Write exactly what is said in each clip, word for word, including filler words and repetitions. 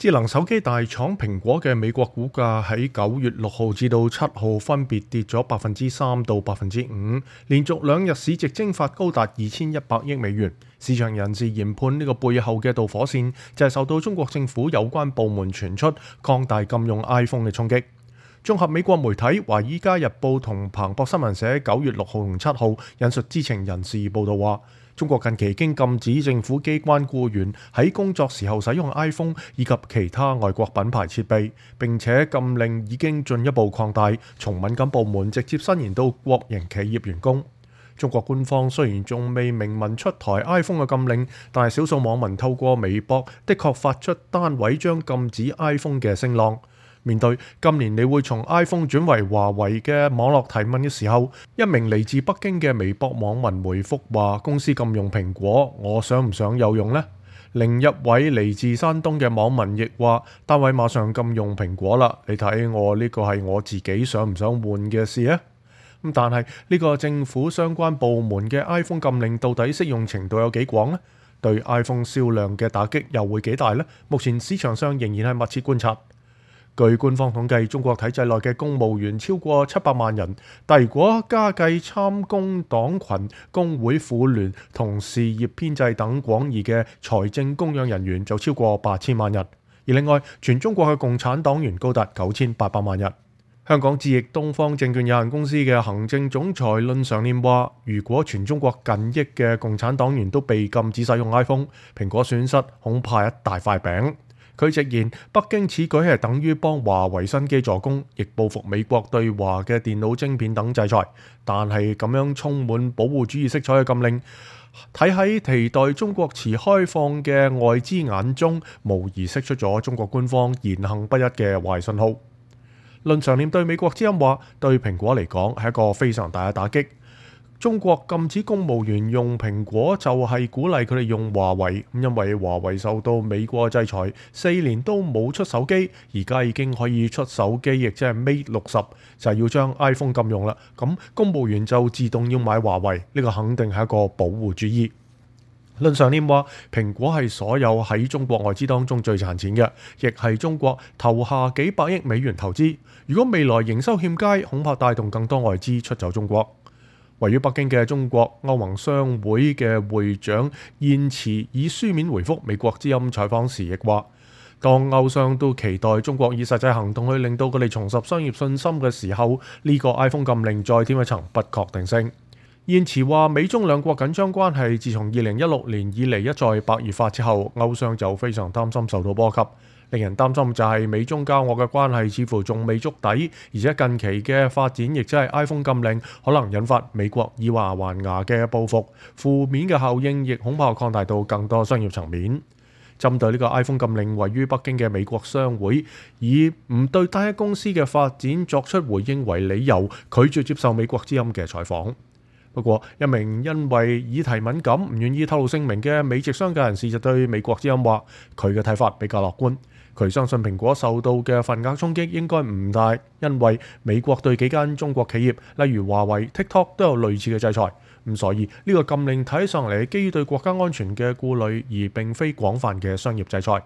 智能手機大廠蘋果嘅美國股價喺九月六號至到七號分別跌咗百分之三到百分之五，連續兩日市值蒸發高達二千一百億美元。市場人士研判呢個背後嘅導火線就係受到中國政府有關部門傳出擴大禁用 iPhone 嘅衝擊。綜合美國媒體《華爾街日報》同彭博新聞社九月六號同七號引述知情人士報道話，中國近期已經禁止政府機關僱員喺工作時候使用 iPhone 以及其他外國品牌設備，並且禁令已經進一步擴大，從敏感部門直接伸延到國營企業員工。中國官方雖然仲未明文出台 iPhone 嘅禁令，但係少數網民透過微博的確發出單位將禁止 iPhone 嘅聲浪。面對今年你會從 iPhone 轉為華為嘅網絡提問嘅時候，一名嚟自北京嘅微博網民回覆話：公司禁用蘋果，我想唔想有用呢？另一位嚟自山東嘅網民亦話：單位馬上禁用蘋果啦，你睇我呢個係我自己想唔想換嘅事啊！咁但係呢個政府相關部門嘅 iPhone 禁令到底適用程度有幾廣呢？對 iPhone 銷量嘅打擊又會幾大呢？目前市場上仍然係密切觀察。據官方統計，中國體制內嘅公務員超過七百萬人，但如果加計參工黨群、工會婦聯同事業編制等廣義嘅財政供養人員，就超過八千萬人。而另外，全中國嘅共產黨員高達九千八百萬人。香港智易東方證券有限公司嘅行政總裁論常念話：如果全中國近億嘅共產黨員都被禁止使用 iPhone， 蘋果損失恐怕一大塊餅。佢直言，北京此舉係等於幫華為新機助攻，亦報復美國對華嘅電腦晶片等制裁。但係咁樣充滿保護主義色彩嘅禁令，睇喺期待中國持開放嘅外資眼中，無疑釋出咗中國官方言行不一嘅壞信號。論常念對美國之音話，對蘋果嚟講係一個非常大嘅打擊。中國禁止公務員用蘋果，就係鼓勵佢哋用華為。因為華為受到美國制裁，四年都冇出手機，而家已經可以出手機，亦即係 Mate 六十，就係要將 iPhone 禁用啦。咁公務員就自動要買華為，呢個肯定係一個保護主義。論常念話，蘋果係所有喺中國外資當中最賺錢嘅，亦係中國投下幾百億美元投資。如果未來營收欠佳，恐怕帶動更多外資出走中國。位於北京嘅中國歐盟商會嘅會長燕慈以書面回覆美國之音採訪時亦話，當歐商都期待中國以實際行動去令到佢哋重拾商業信心嘅時候，呢個 iPhone 禁令再添一層不確定性。燕慈話，美中兩國緊張關係自從二零一六年以嚟一再白熱化之後，歐商就非常擔心受到波及。令人擔心就係美中交惡嘅關係似乎仲未觸底，而且近期嘅發展亦即係 iPhone 禁令可能引發美國以牙還牙嘅報復，負面嘅效應亦恐怕擴大到更多商業層面。針對呢個 iPhone 禁令，位於北京嘅美國商會以唔對單一公司嘅發展作出回應為理由，拒絕接受美國之音嘅採訪。不過，一名因為議題敏感唔願意透露姓名嘅美籍商界人士就對美國之音話，佢嘅睇法比較樂觀。佢相信蘋果受到嘅份額衝擊應該唔大，因為美國對幾間中國企業，例如華為、TikTok 都有類似嘅制裁。咁所以呢個禁令睇上嚟基於對國家安全嘅顧慮，而並非廣泛嘅商業制裁。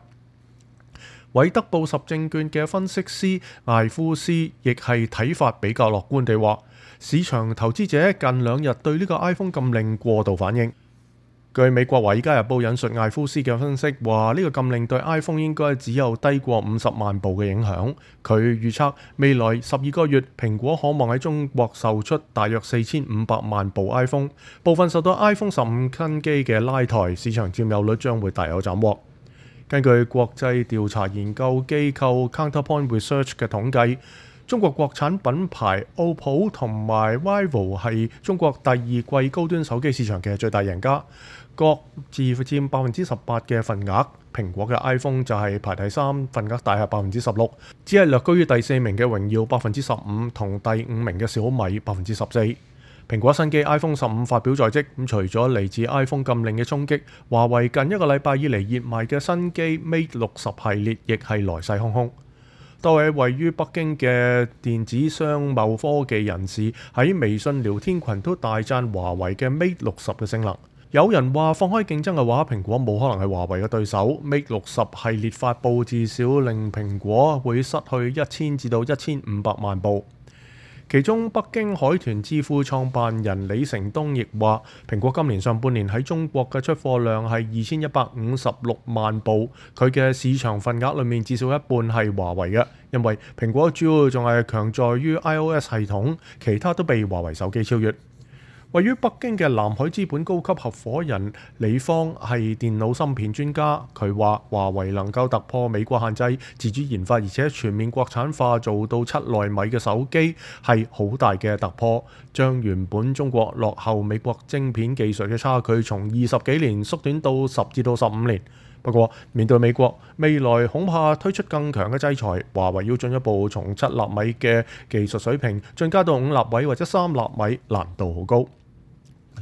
韋德布什證券嘅分析師艾夫斯亦係睇法比較樂觀地話，市場投資者近兩日對呢個 iPhone 禁令過度反應。據美國《華爾街日報》引述艾夫斯嘅分析話，呢個禁令對 iPhone 應該只有低過五十萬部嘅影響。佢預測未來十二個月，蘋果可望喺中國售出大約四千五百萬部 iPhone， 部分受到 iPhone 十五新機嘅拉抬，市場佔有率將會大有斬獲。根據國際調查研究機構 Counterpoint Research 嘅統計，中國國產品牌 O P P O 同埋 vivo 係中國第二季高端手機市場嘅最大贏家，各自佔百分之十八嘅份額。蘋果嘅 iPhone 就係排第三，份額大係百分之十六，只係略高於第四名嘅榮耀百分之十五，同第五名嘅小米百分之十四。蘋果新機 iPhone 十五發表在即，咁除咗嚟自 iPhone 禁令嘅衝擊，華為近一個禮拜以嚟熱賣嘅新機 Mate 六十系列亦係來勢洶洶。多位位於北京嘅電子商貿科技人士喺微信聊天群都大讚華為嘅 Mate 六十嘅性能。有人話放開競爭嘅話，蘋果冇可能係華為嘅對手。Mate 六十系列發布至少令蘋果會失去一千至到一千五百萬部。其中，北京海豚智庫創辦人李成東亦話，蘋果今年上半年喺中國嘅出貨量係二千一百五十六萬部，佢嘅市場份額裏面至少一半係華為嘅，因為蘋果主要仲係強在於 iOS 系統，其他都被華為手機超越。位於北京嘅南海資本高級合夥人李方係電腦芯片專家，佢話華為能夠突破美國限制，自主研發而且全面國產化做到七納米嘅手機係好大嘅突破，將原本中國落後美國晶片技術嘅差距從二十幾年縮短到十至到十五年。不過面對美國未來恐怕推出更強嘅制裁，華為要進一步從七納米嘅技術水平進加到五納米或者三納米，難度好高。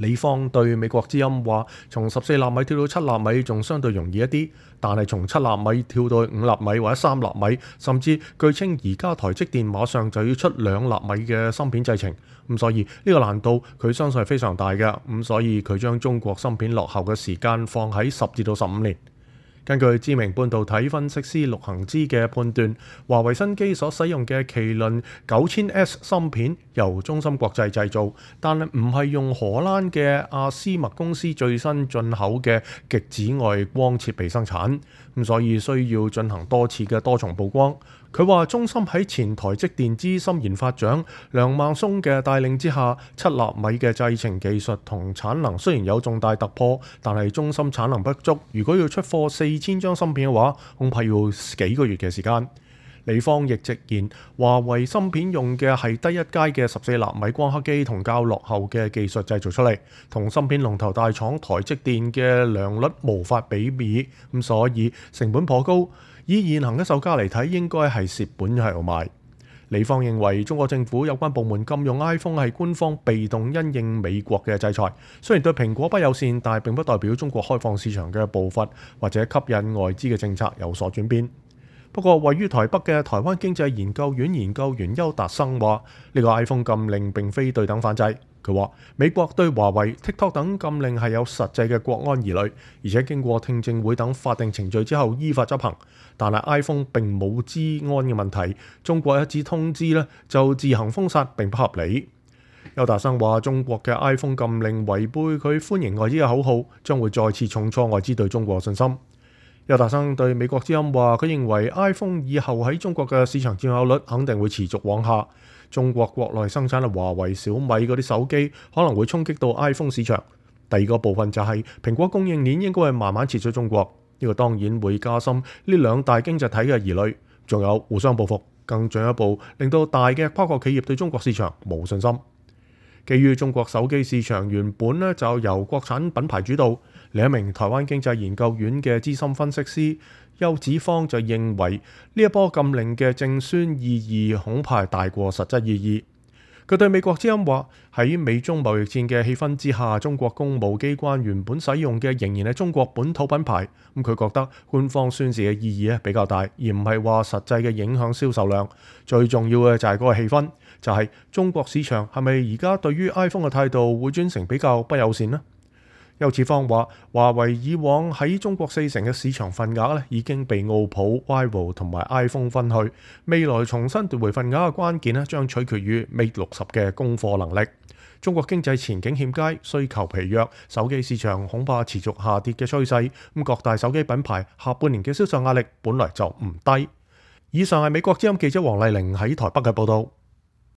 李方對美國之音話，從十四納米跳到七納米仲相對容易一啲，但係從七納米跳到五納米或者三納米，甚至據稱而家台積電馬上就要出兩納米嘅芯片製程，咁所以呢個難度佢相信係非常大嘅，咁所以佢將中國芯片落後嘅時間放喺十至到十五年。根據知名半導體分析師陸行之嘅判斷，華為新機所使用嘅麒麟九千 S 芯片由中芯國際製造，但係唔係用荷蘭嘅阿斯麥公司最新進口嘅極紫外光設備生產，咁所以需要進行多次嘅多重曝光。佢話中芯喺前台積電資深研發長梁孟松嘅帶領之下，七納米嘅製程技術同產能雖然有重大突破，但係中芯產能不足，如果要出貨四千張芯片嘅話，恐怕要幾個月嘅時間。李方亦直言，華為芯片用嘅係低一階嘅十四納米光刻機同較落後嘅技術製造出嚟，同芯片龍頭大廠台積電嘅良率無法比擬，咁所以成本頗高。以現行嘅售價嚟睇，應該係蝕本喺度賣。李方認為，中國政府有關部門禁用 iPhone 係官方被動因應美國嘅制裁，雖然對蘋果不友善，但係並不代表中國開放市場嘅步伐或者吸引外資嘅政策有所轉變。不過，位於台北嘅台灣經濟研究院研究員邱達生話：呢個 iPhone 禁令並非對等反制。佢話美國對華為、TikTok 等禁令係有實際嘅國安疑慮，而且經過聽證會等法定程序之後依法執行。但係 iPhone 並冇資安嘅問題，中國一紙通知咧就自行封殺並不合理。邱達生話：中國嘅 iPhone 禁令違背佢歡迎外資嘅口號，將會再次重挫外資對中國嘅信心。邱達生對美國之音話：佢認為 iPhone 以後喺中國嘅市場佔有率肯定會持續往下。中國國內生產嘅華為、小米嗰啲手機可能會衝擊到 iPhone 市場。第二個部分就係蘋果供應鏈應該係慢慢撤出中國，呢個當然會加深呢兩大經濟體嘅疑慮，仲有互相報復，更進一步令到大嘅跨國企業對中國市場冇信心。基於中國手機市場原本咧就由國產品牌主導，另一名台灣經濟研究院嘅資深分析師邱子方就認為呢一波禁令嘅正宣意義恐怕大過實質意義。佢對美國之音話：喺美中貿易戰嘅氣氛之下，中國公務機關原本使用嘅仍然係中國本土品牌。咁佢覺得官方宣示嘅意義咧比較大，而唔係話實際嘅影響銷售量。最重要嘅就係嗰個氣氛，就係、是、中國市場係咪而家對於 iPhone 嘅態度會轉成比較不友善呢？邱子方話：華為以往喺中國四成嘅市場份額咧已經被奧普、vivo 同埋 iPhone 分去，未來重新奪回份額嘅關鍵咧將取決於 Mate 六十嘅供貨能力。中國經濟前景欠佳，需求疲弱，手機市場恐怕持續下跌嘅趨勢。咁各大手機品牌下半年嘅銷售壓力本來就唔低。以上係美國之音記者黃麗玲喺台北嘅報導。